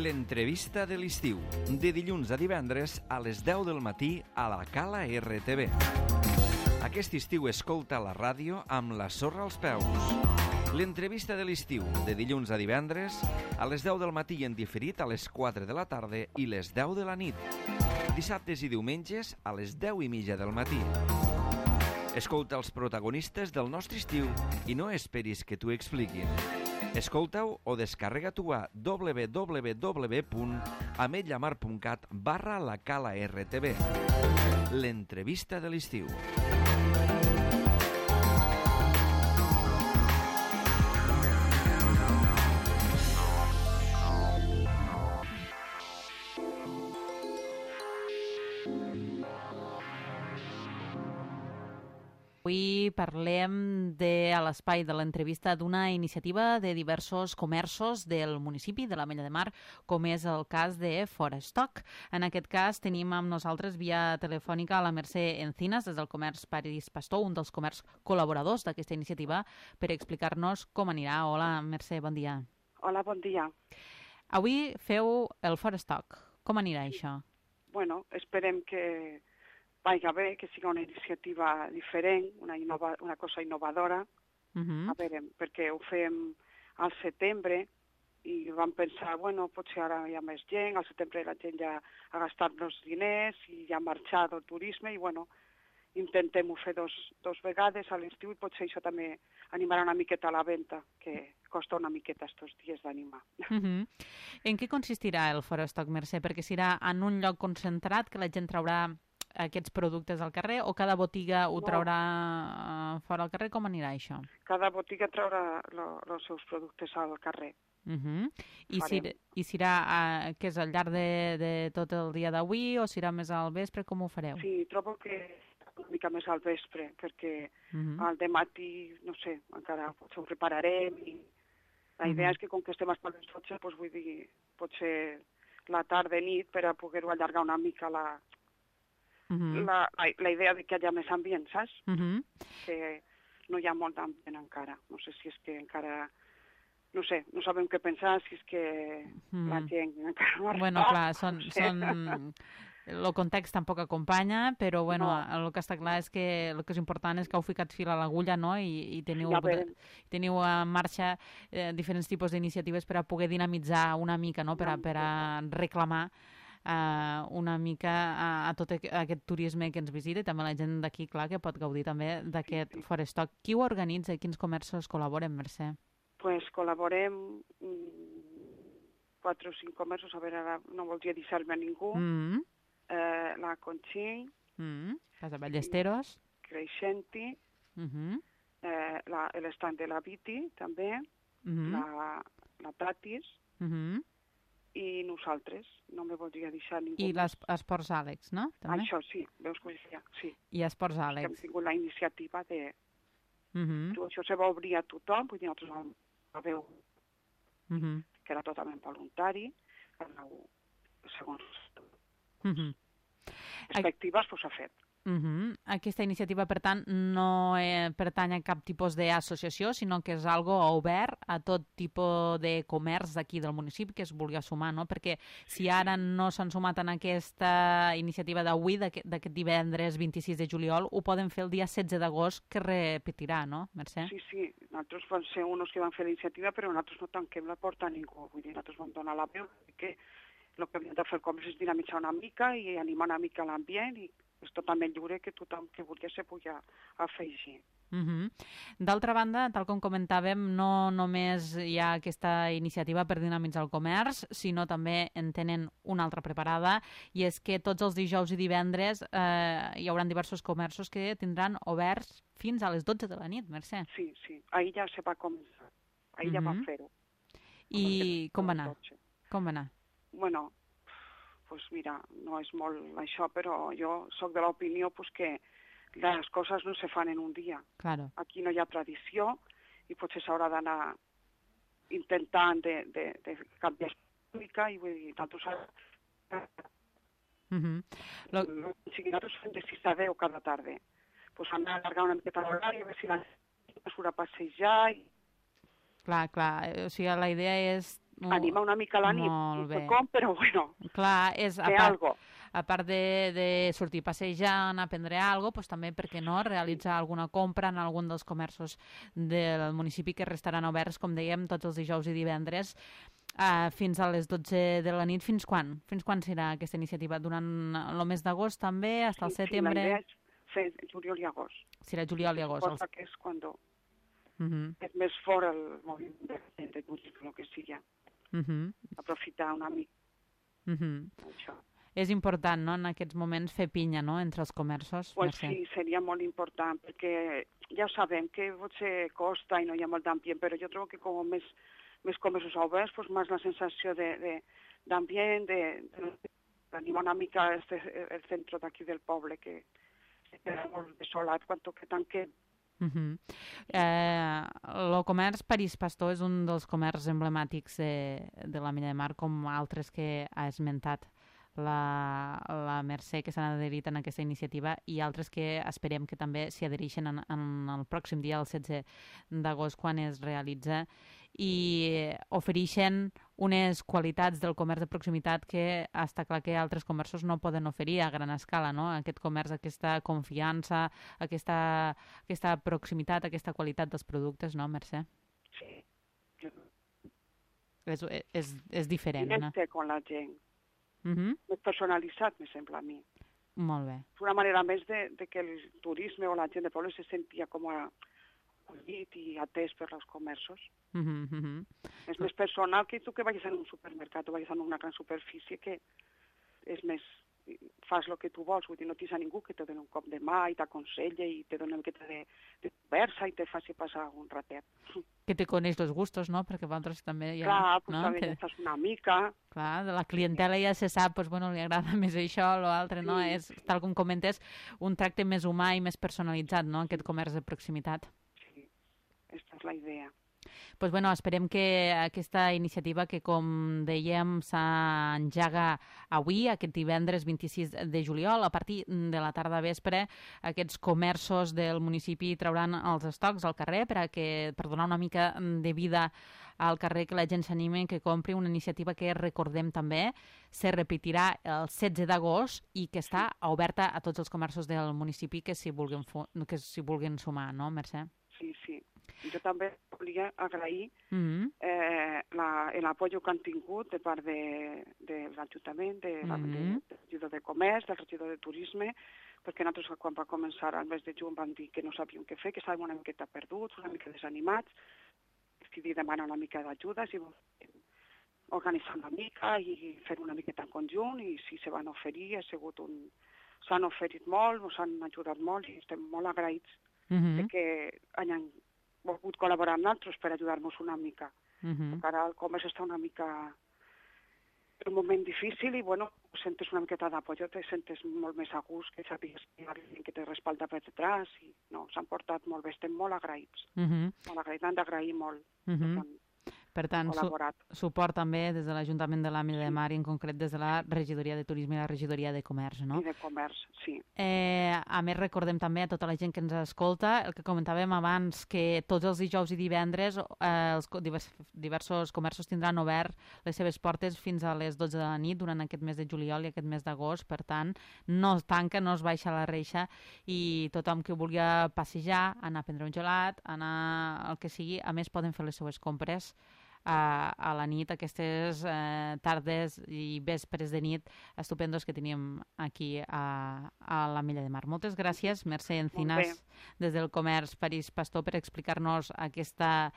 L'entrevista de l'estiu, de dilluns a divendres a les 10 del matí a la Cala RTV. Aquest estiu escolta la ràdio amb la sorra als peus. L'entrevista de l'estiu, de dilluns a divendres a les 10 del matí i en diferit a les 4 de la tarda i les 10 de la nit. Dissabtes i diumenges a les 10:30 del matí. Escolta els protagonistes del nostre estiu i no esperis que t'ho expliquin. Escolta-ho o descarrega-t'ho a www.ametlllamar.cat/la Cala RTV. L'entrevista de l'estiu. Avui parlem a l'espai de l'entrevista d'una iniciativa de diversos comerços del municipi de l'Ametlla de Mar, com és el cas de Forestock. En aquest cas tenim amb nosaltres via telefònica a la Mercè Encinas, des del comerç París Pastor, un dels comerç col·laboradors d'aquesta iniciativa, per explicar-nos com anirà. Hola, Mercè, bon dia. Hola, bon dia. Avui feu el Forestock. Com anirà això? Bueno, esperem que vagi bé, que sigui una iniciativa diferent, una cosa innovadora. A veure, perquè ho fem al setembre i vam pensar, bueno, potser ara hi ha més gent, al setembre la gent ja ha gastat els diners i ja ha marxat el turisme i, bueno, intentem-ho fer dos vegades a l'estiu i potser això també animarà una miqueta a la venda, que costa una miqueta estos dies d'animar. En què consistirà el Forestock, Mercè? Perquè serà en un lloc concentrat que la gent traurà aquests productes al carrer o cada botiga ho traurà fora al carrer? Com anirà això? Cada botiga traurà els seus productes al carrer. I serà que és al llarg de tot el dia d'avui o serà més al vespre? Com ho fareu? Sí, trobo que una mica més al vespre, perquè al dematí, no sé, encara potser ho prepararem i la idea és que com que estem a les 12, doncs vull dir, potser la tarda i nit per a poder-ho allargar una mica la idea de que hi ha més ambient, saps? Que no hi ha molt d'ambient encara. No sé si és que encara... No sé, no sabem què pensar, si és que la gent encara no ha arribat. Bueno, clar, el context tampoc acompanya, però bueno, el que està clar és que el que és important és que heu ficat fil a l'agulla, no? I teniu en marxa diferents tipus d'iniciatives per a poder dinamitzar una mica, no? Per a reclamar una mica a tot aquest turisme que ens visita i també la gent d'aquí, clar, que pot gaudir també d'aquest Forestock. Qui ho organitza i quins comerços col·laboren, Mercè? Pues col·laborem 4 o 5 comerços, a veure, ara no voldria deixar-me a ningú. La Conxí, Casa Ballesteros, Creixenti, l'estand de la Viti, també, la Tatis, i nosaltres, no me voldria deixar ningú. I l'Esports Àlex, no? També? Això sí, veus que sí. I Esports Àlex. Hem tingut la iniciativa de... Això se va obrir a tothom, vull dir, nosaltres vam veure que era totalment voluntari, segons perspectives, doncs s'ha fet. Aquesta iniciativa, per tant, no pertany a cap tipus d'associació, sinó que és algo obert a tot tipus de comerç d'aquí del municipi que es vulgui sumar, no? Perquè si ara no s'han sumat en aquesta iniciativa d'avui, d'aquest divendres 26 de juliol, ho poden fer el dia 16 d'agost, que repetirà, no, Mercè? Sí, nosaltres vam ser uns que van fer la iniciativa, però nosaltres no tanquem la porta a ningú, vull dir, nosaltres vam donar la veu, que el que hem de fer el comerç és dinamitzar una mica i animar una mica l'ambient i és totalment lliure que tothom que vulgui se pugui afegir. D'altra banda, tal com comentàvem, no només hi ha aquesta iniciativa per dinamitzar el comerç, sinó també en tenen una altra preparada, i és que tots els dijous i divendres hi haurà diversos comerços que tindran oberts fins a les 12 de la nit, Mercè. Sí, ahir ja se va començar, ahir ja vam fer-ho. I com va anar? Bueno, pues mira, no és molt això, però jo sóc de l'opinió que les coses no se fan en un dia. Claro. Aquí no hi ha tradició i potser s'haurà d'anar intentant de canviar una mica i vull dir, nosaltres fem de 6 a 10 cada tarda. Pues anar a allargar una miqueta l'horari, a veure si la gent surt a passejar i Clar, o sigui, la idea és anima una mica la nit, no sé com, però bueno, clar, algo. A part de sortir a passejar, anar a prendre alguna cosa, doncs també, per què no, realitzar alguna compra en algun dels comerços del municipi que restaran oberts, com dèiem, tots els dijous i divendres, fins a les 12 de la nit. Fins quan? Fins quan serà aquesta iniciativa? Durant el mes d'agost també, fins al setembre? Sí, la idea és fer juliol i agost. Serà juliol i agost. Cosa que és quan és més fort el moviment de turisme, el que sigui. Aprofitar una mica això. És important, no?, en aquests moments fer pinya, no?, entre els comerços. Pues sí, seria molt important, perquè ja ho sabem que potser costa i no hi ha molt d'ambient, però jo trobo que com més comerços oberts, pues més la sensació d'ambient, d'animar una mica el centre d'aquí del poble, que queda molt desolat quan toca tanquem. El comerç París Pastor és un dels comerços emblemàtics de l'Ametlla de Mar, com altres que ha esmentat la Mercè, que s'han adherit en aquesta iniciativa, i altres que esperem que també s'hi adhereixen en el pròxim dia, el 16 d'agost, quan es realitza, i ofereixen unes qualitats del comerç de proximitat que està clar que altres comerços no poden oferir a gran escala, no? Aquest comerç, aquesta confiança, aquesta proximitat, aquesta qualitat dels productes, no, Mercè? Sí. És diferent, no? Directe amb la gent. Més personalitzat, me sembla a mi. Molt bé. És una manera més de que el turisme o la gent del poble se sentia com acollit i atès per els comerços. És més personal que tu que vagis en un supermercat o vagis en una gran superfície, que és més, fas el que tu vols, vull dir, no tens a ningú que te doni un cop de mà i t'aconsella i te doni una miqueta de conversa i te faci passar un ratet. Que te coneix els gustos, no? Perquè vosaltres també ja... Clar, pues també ja estàs una mica... Clar, de la clientela ja se sap, doncs, bueno, li agrada més això o l'altre, no? És, tal com comentes, un tracte més humà i més personalitzat, no?, aquest comerç de proximitat. Sí, aquesta és la idea. Pues bueno, esperem que aquesta iniciativa, que com dèiem s'engega avui, aquest divendres 26 de juliol, a partir de la tarda vespre, aquests comerços del municipi trauran els estocs al carrer per donar una mica de vida al carrer, que la gent s'anime, que compri, una iniciativa que, recordem també, se repetirà el 16 d'agost i que està oberta a tots els comerços del municipi que s'hi vulguin sumar, no, Mercè? Sí. Jo també volia agrair l'apoyo que han tingut de part de l'Ajuntament, del regidor de Comerç, del regidor de Turisme, perquè nosaltres quan va començar al mes de juny vam dir que no sabíem què fer, que estàvem una miqueta perduts, una mica desanimats, decidir demanar una mica d'ajuda, si organitzar una mica i fer una miqueta en conjunt, i si se van oferir, s'han oferit molt, ens han ajudat molt i estem molt agraïts de que hayan volgut col·laborar amb nosaltres per ajudar-nos una mica. Perquè ara el comerç està una mica en un moment difícil i, bueno, sentes una miqueta d'apollo, te sentes molt més a gust, que sàpigues que hi ha gent que te respalda per detrás, i no, s'han portat molt bé, estem molt agraïts. Molt agraïts, han d'agrair molt. Per tant, suport també des de l'Ajuntament de l'Ametlla de Mar i en concret des de la Regidoria de Turisme i la Regidoria de Comerç, no? I de Comerç, sí. A més, recordem també a tota la gent que ens escolta el que comentàvem abans, que tots els dijous i divendres els diversos comerços tindran obert les seves portes fins a les 12 de la nit durant aquest mes de juliol i aquest mes d'agost. Per tant, no es tanca, no es baixa la reixa, i tothom que vulgui passejar, anar a prendre un gelat, anar al que sigui, a més poden fer les seues compres a la nit, aquestes tardes i vespres de nit estupendos que teníem aquí a l'Ametlla de Mar. Moltes gràcies, Mercè Encinas, des del Comerç París Pastor, per explicar-nos aquesta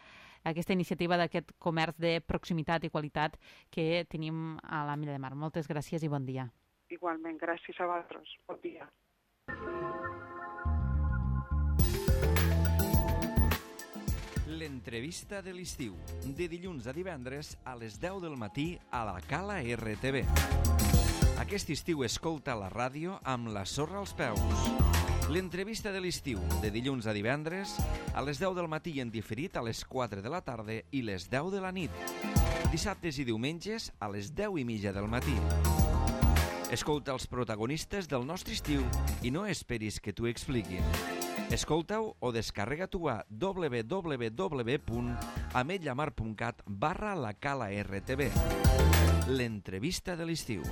iniciativa d'aquest comerç de proximitat i qualitat que tenim a l'Ametlla de Mar. Moltes gràcies i bon dia. Igualment, gràcies a vosaltres. Bon dia. L'entrevista de l'estiu, de dilluns a divendres a les 10 del matí a la Cala RTV. Aquest estiu escolta la ràdio amb la sorra als peus. L'entrevista de l'estiu, de dilluns a divendres a les 10 del matí en diferit a les 4 de la tarda i les 10 de la nit. Dissabtes i diumenges a les 10:30 del matí. Escolta els protagonistes del nostre estiu i no esperis que t'ho expliquin. Escolta-ho o descarrega-t'ho a www.ametlllamar.cat/la Cala RTV. L'entrevista de l'estiu.